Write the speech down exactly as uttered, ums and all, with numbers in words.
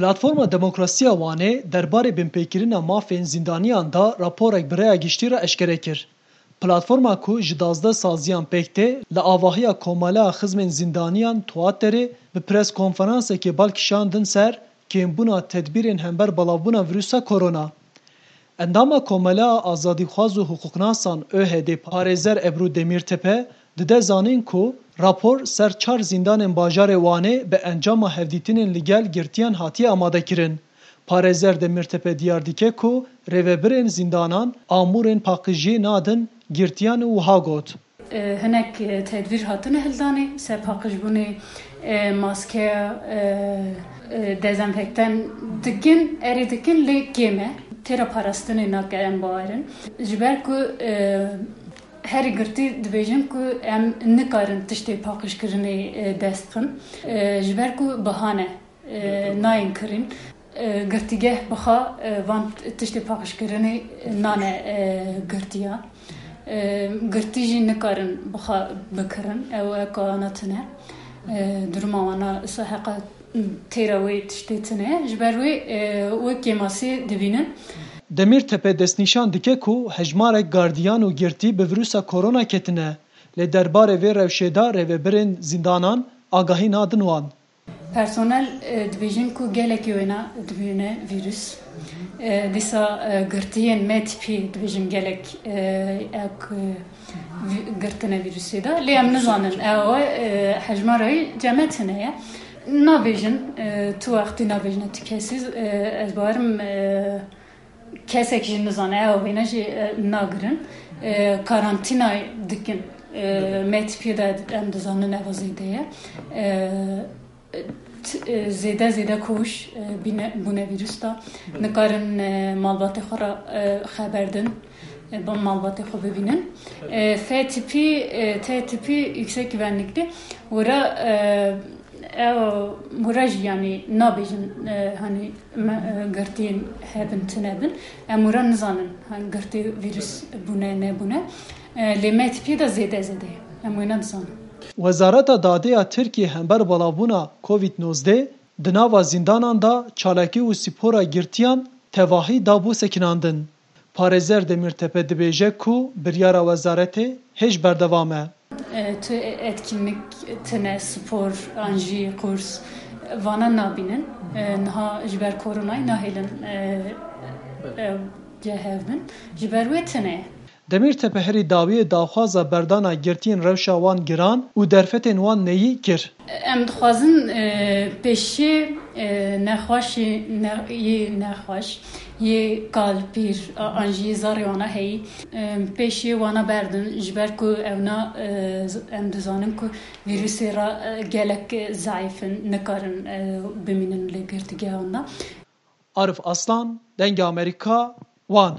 Platforma Demokrasiya Wanê derbarê binpêkirina mafên zîndaniyan de raporek bi rêya giştî re eşkere kir. Platforma ku ji duwazdeh saziyan pêk tê, li avahiya Komeleya Xizmên Zîndaniyan Tuaterê bi preskonferansekê bal kişandin ser kêmbûna tedbîrên hember belavbûna vîrusa korona. Endama Komeleya Azadîxwaz û Hiqûqnasan ÖHD'ê parêzer Ebru Demîrtepe dide zanîn ku rapor ser çar zîndanên bajarê Wanê bi encama hevdîtinên li gel girtiyan hatiye amadekirin. Parêzer Demîrtepe diyar dike ku rêvebirên zîndanan amûrên paqijiyê nadin girtiyan û wiha got. E, hinek, e, tedbîr hatine hildanê, ser paqijbûnê, e, maskeya, e, e, dezenfektan dikin, erê dikin, lê kêm e. Têra parastinê nake, em bawerin. Ji ber ku, e, herî girtî dibêjin ku em nikarin tiştê paqijkirinê, e, dest bixin. E, ji ber ku biha ne, e, nayên kirîn. E, girtîgeh bixa, e, van tiştê paqijkirinê nane, e, girtiya. E, girtî jî nikarin bixa bikirin. Ew eka ana tune. E, duruma wana isa heqa têra wê tiştê tune. Ji ber wê, e, wê kêmasiyê dibînin. Demîrtepe destnîşan dike ku hejmarek gardiyan û girtî bi vîrusa korona ketine. Lê derbarê vê rewşê de rêvebirên zîndanan agahî nadin wan. Personel, e, dibêjin ku gelekî wêna dibîne vîrus. E, dîsa, e, girtiyên M tipî dibêjin gelek, e, ew, e, vî-, girtine vîrusê de. Lê em nizanin ew, e, hejmara wî cem me tune ye. Nabêjin, e, tu wextî nabêjine tu kesî, e, ez bawerim, e, kesek jî nizane, ew wêne jî, e, nagirin. E, karantînayê dikin. E, M tipiyê de em dizanin eva zêde ye. E, t-, e, zêde zêde koş, e, bîne, bûne vîrus da. Nikarin, e, malbatê xwe re, e, xeber din. E, bi malbatê xwe bibînin. E, F tipî, e, T tipî yüksek güvenlikli. Wira, e, Ew, wira jî, yanî, nabêjin, e, hani, me, e, girtiyên hebin, tune bin. Em wira nizanin, hani, girtî vîrus bûne, nebûne. E, lê M tipiyê de zêde, zêde ye. Em wê nedizanin. Wezareta Dadê ya Tirkiyê hember belavbûna Covid nozdeh di nava zîndanan de çalakî û spora girtiyan tevahî dabû sekinandin. Parêzer Demîrtepe dibêje ku biryara wezaretê hêj berdewam e. E, tu etkinlik tine, spor, an jî kurs, vana nabînin. E, niha ji ber koronayê nahêlin, e, e, cihevbin. Ji ber wê tine ye. Demîrtepe herî dawiyê daxwaza berdana girtiyên rewşa wan giran û derfetên wan neyî kir. Em dixwazin, e, pêşiyê, e, nexweşê ne-, yê nexweş, yê kal, pîr, a-, an jî yê zarê wana heyî, e, pêşiyê wana berdin, ji ber ku ewna, e, z-, em dizanin ku vîrusê re, e, gelek, e, zeîf in, nikarin, e, bimînin li girtîgehan de. Arif Aslan, Dengê Amerîka, Wan.